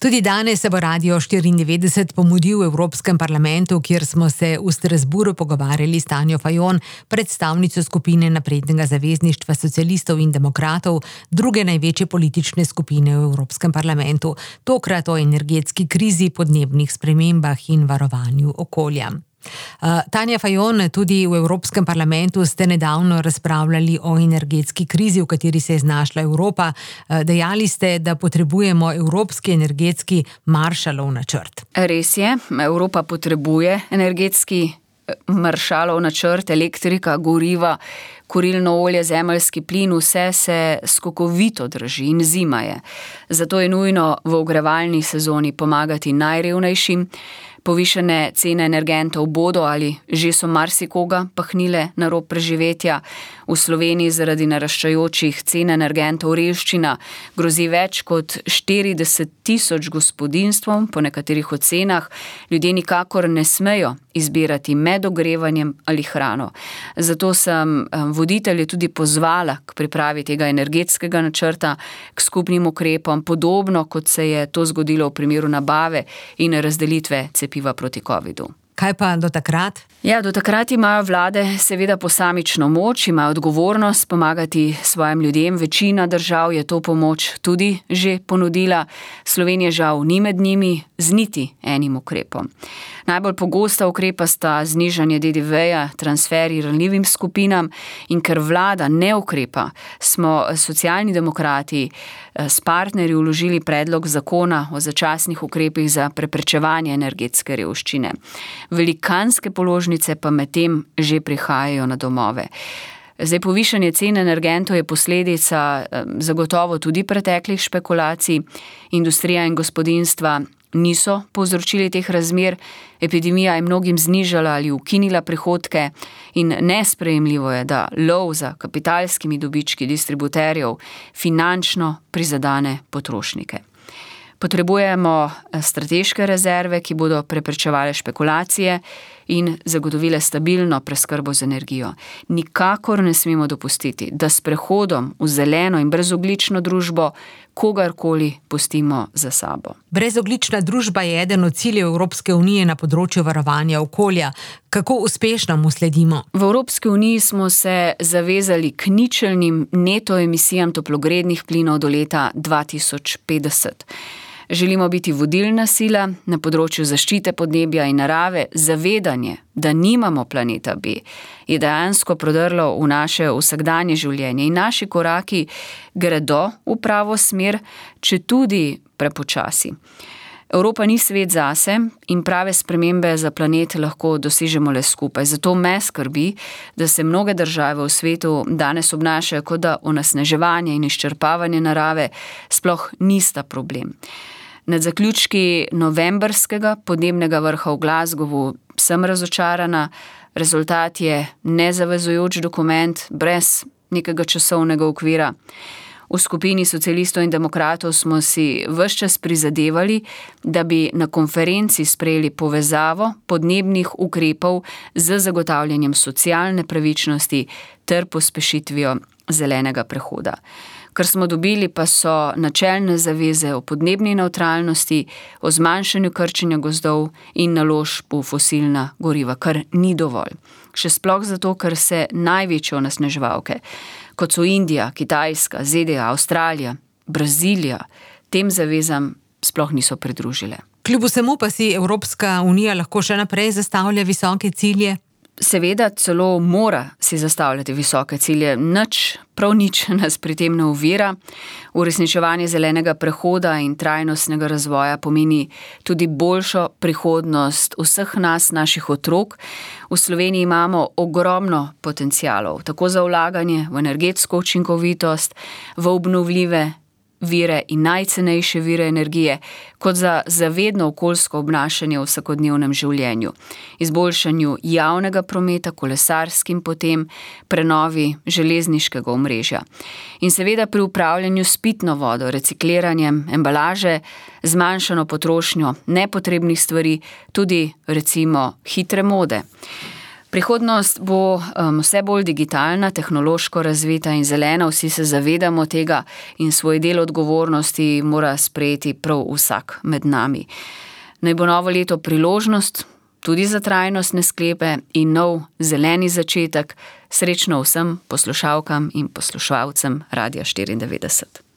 Tudi danes se bo Radio 94 pomudil v Evropskem parlamentu, kjer smo se v Strasbourgu pogovarjali s Tanjo Fajon, predstavnico skupine Naprednega zavezništva socialistov in demokratov, druge največje politične skupine v Evropskem parlamentu, tokrat o energetski krizi, podnebnih spremembah in varovanju okolja. Tanja Fajon, tudi v Evropskem parlamentu ste nedavno razpravljali o energetski krizi, v kateri se je znašla Evropa. Dejali ste, da potrebujemo evropski energetski Marshallov načrt. Res je, Evropa potrebuje energetski Marshallov načrt, elektrika, goriva, kurilno olje, zemeljski plin, vse se skokovito drži in zima je. Zato je nujno v ogrevalni sezoni pomagati najrevnejšim. Povišene cene energentov bodo ali že so marsikoga pahnile na rob preživetja. V Sloveniji zaradi naraščajočih cen energentov revščina grozi več kot 40,000 gospodinjstvom, po nekaterih ocenah. Ljudje nikakor ne smejo izbirati med ogrevanjem ali hrano. Zato sem voditelje tudi pozvala k pripravi tega energetskega načrta, k skupnim ukrepom, podobno kot se je to zgodilo v primeru nabave in razdelitve cepiva proti covidu. Kaj pa do takrat? Ja, do takrat imajo vlade seveda posamično moč, imajo odgovornost pomagati svojim ljudem. Večina držav je to pomoč tudi že ponudila. Slovenija žal ni med njimi z niti enim ukrepom. Najbolj pogosta ukrepa sta znižanje DDV-ja, transferi ranljivim skupinam, in ker vlada ne ukrepa, smo Socialni demokrati s partnerji vložili predlog zakona o začasnih ukrepih za preprečevanje energetske revščine. Velikanske položnice pa medtem že prihajajo na domove. Zdaj, povišanje cen energentov je posledica zagotovo tudi preteklih špekulacij. Industrija in gospodinjstva niso povzročili teh razmer, epidemija je mnogim znižala ali ukinila prihodke in nesprejemljivo je, da lov za kapitalskimi dobički distributerjev finančno prizadene potrošnike. Potrebujemo strateške rezerve, ki bodo preprečevale špekulacije in zagotovile stabilno preskrbo z energijo. Nikakor ne smemo dopustiti, da s prehodom v zeleno in brezogljično družbo kogarkoli pustimo za sabo. Brezogljična družba je eden od ciljev Evropske unije na področju varovanja okolja. Kako uspešno mu sledimo? V Evropski uniji smo se zavezali k ničelnim neto emisijam toplogrednih plinov do leta 2050. Želimo biti vodilna sila na področju zaščite podnebja in narave. Zavedanje, da nimamo planeta B, je dejansko prodrlo v naše vsakdanje življenje in naši koraki gredo v pravo smer, četudi prepočasi. Evropa ni svet zase in prave spremembe za planet lahko dosežemo le skupaj. Zato me skrbi, da se mnoge države v svetu danes obnašajo, kot da onesnaževanje in izčrpavanje narave sploh nista problem. Nad zaključki novembrskega podnebnega vrha v Glasgowu sem razočarana. Rezultat je nezavezujoč dokument brez nekega časovnega okvira. V skupini socialistov in demokratov smo si ves čas prizadevali, da bi na konferenci sprejeli povezavo podnebnih ukrepov z zagotavljanjem socialne pravičnosti ter pospešitvijo zelenega prehoda. Kar smo dobili pa so načelne zaveze o podnebni nevtralnosti, o zmanjšanju krčenja gozdov in naložb v fosilna goriva, kar ni dovolj. Še sploh zato, ker se največje onesnaževalke, kot so Indija, Kitajska, ZDA, Avstralija, Brazilija, tem zavezam sploh niso pridružile. Kljub vsemu pa si Evropska unija lahko še naprej zastavlja visoke cilje? Seveda celo mora si zastavljati visoke cilje. Prav nič nas pri tem ne ovira. Uresničevanje zelenega prehoda in trajnostnega razvoja pomeni tudi boljšo prihodnost vseh nas, naših otrok. V Sloveniji imamo ogromno potencialov, tako za vlaganje v energetsko učinkovitost, v obnovljive vire in najcenejše vire energije, kot za zavedno okoljsko obnašanje v vsakodnevnem življenju, izboljšanju javnega prometa, kolesarskim potem, prenovi železniškega omrežja. In seveda pri upravljanju s pitno vodo, recikliranjem embalaže, zmanjšano potrošnjo nepotrebnih stvari, tudi recimo hitre mode. Prihodnost bo vse bolj digitalna, tehnološko razvita in zelena, vsi se zavedamo tega in svoj del odgovornosti mora sprejeti prav vsak med nami. Naj bo novo leto priložnost tudi za trajnostne sklepe in nov zeleni začetek. Srečno vsem poslušalkam in poslušalcem Radia 94.